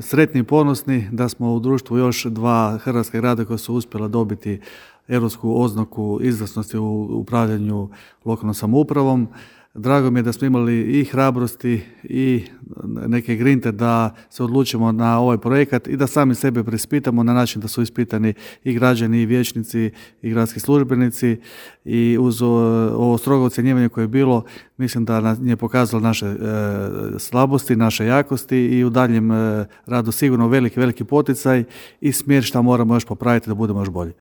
sretni i ponosni da smo u društvu još 2 hrvatska grada koja su uspjela dobiti europsku oznaku izvrsnosti u upravljanju lokalnom samoupravom. Drago mi je da smo imali i hrabrosti i neke grinte da se odlučimo na ovaj projekat i da sami sebe preispitamo na način da su ispitani i građani i vijećnici i gradski službenici i uz ovo strogo ocjenjivanje koje je bilo, mislim da nam je pokazalo naše slabosti, naše jakosti i u daljem radu sigurno veliki poticaj i smjer šta moramo još popraviti da budemo još bolji.